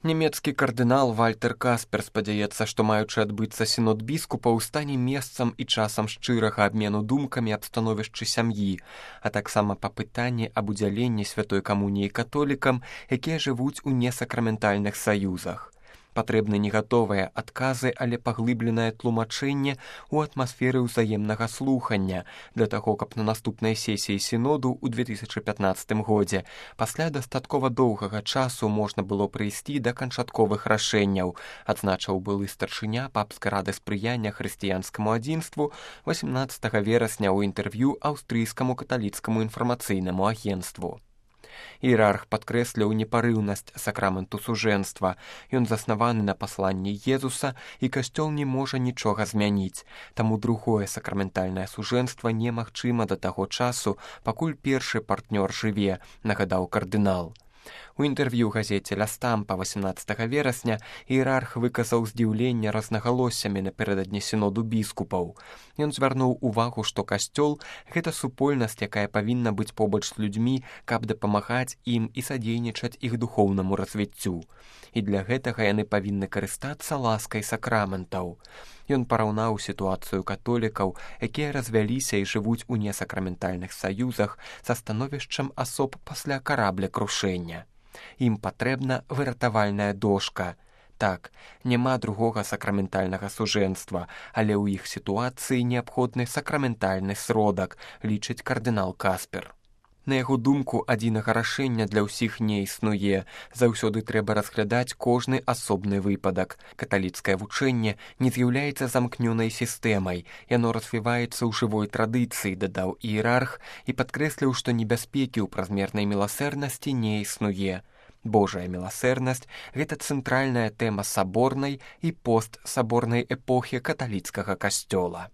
Нямецкі кардынал Вальтер Каспер спадзяецца, што маючы адбыцца сінод біскупаў стане месцам і часам шчырага абмену думкамі аб становішчы сям'і, а таксама па пытанні аб удзяленні святой камуніі католікам, якія жывуць у несакраментальных саюзах. Патрэбны не гатовыя адказы, але паглыбленае тлумачэнне ў атмасферы ўзаемнага слухання для таго, каб на наступнай сесіі сіноду ў 2015 годзе пасля дастаткова доўгага часу можна было прыйсці да канчатковых рашэнняў, адзначыў былы старшыня папскай рады спрыяння хрысціянскаму адзінству 18 верасня ў інтэрв'ю аўстрыйскаму каталіцкаму інфармацыйнаму агенцтву. Іерарх падкрэсліў непарыўнасць сакраменту сужэнства. Ён заснаваны на пасланні Езуса, і касцёл не можа нічога змяніць. Таму другое сакраментальнае сужэнства немагчыма да таго часу, пакуль першы партнёр жыве, нагадаў кардынал. У інтэрв'ю газеце «Ля Стампа» 18 верасня іерарх выказаў здзіўленне рознагалоссямі напярэдадні сіноду біскупаў. Ён звярнуў увагу, што касцёл – гэта супольнасць, якая павінна быць побач з людзьмі, каб дапамагаць ім і садзейнічаць іх духоўнаму развіццю. І для гэтага яны павінны карыстацца ласкай сакраментаў. Ён параўнаў сітуацыю католікаў, якія развяліся і жывуць у несакраментальных саюзах, са становішчам асоб пасля карабля-крушэння. Ім патрэбна выратавальная дошка. Так, няма другога сакраментальнага сужэнства, але ў іх сітуацыі неабходны сакраментальны сродак, лічыць кардынал Каспер. На яго думку, адзінага рашэння для ўсіх не існуе. Заўсёды трэба разглядаць кожны асобны выпадак. Каталіцкае вучэнне не з'яўляецца замкнёнай сістэмай. Яно развіваецца ў жывой традыцыі, дадаў іерарх, і падкрэсліў, што небяспекі ў празмернай міласэрнасці не існуе. Божая міласэрнасць – гэта цэнтральная тэма саборнай і постсаборнай эпохі каталіцкага касцёла.